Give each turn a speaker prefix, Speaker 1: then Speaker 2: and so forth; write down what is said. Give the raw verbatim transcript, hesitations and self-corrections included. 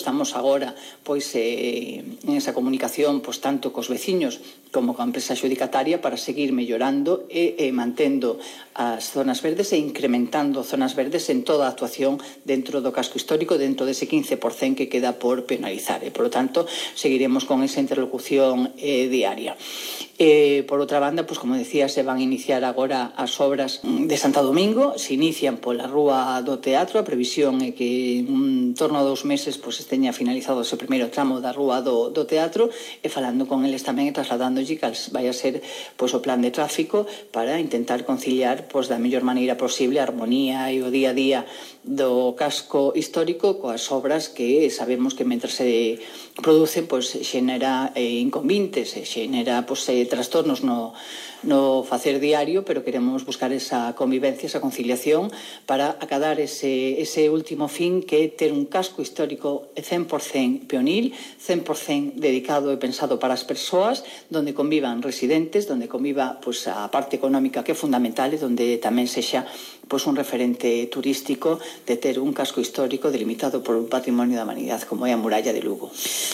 Speaker 1: estamos agora pois eh, en esa comunicación pois tanto cos veciños como coa empresa adxudicataria para seguir mellorando e, e mantendo as zonas verdes e incrementando zonas verdes en toda a actuación dentro do casco histórico, dentro dese quince por cento que queda por penalizar. E, por lo tanto, seguiremos con esa interlocución eh, diaria. Eh, por outra banda, pues, como decía, se van a iniciar agora as obras de Santo Domingo, se inician pola Rúa do Teatro, a previsión é que en torno a dous meses pues, esteña finalizado ese primeiro tramo da Rúa do, do Teatro, e falando con eles tamén e trasladándolle cal vai a ser pues, o plan de tráfico para intentar conciliar pues, da mellor maneira posible a armonía e o día a día do casco histórico coas obras que sabemos que mentre se producen pues, xenera eh, inconvintes, xenera pues, eh, trastornos no, no facer diario, pero queremos buscar esa convivencia, esa conciliación para acadar ese, ese último fin que é ter un casco histórico cen por cento peonil, cen por cento dedicado e pensado para as persoas, donde convivan residentes, donde conviva pues, a parte económica que é fundamental e donde tamén sexa pues, un referente turístico de ter un casco histórico delimitado por un patrimonio da humanidade como é a Muralla de Lugo.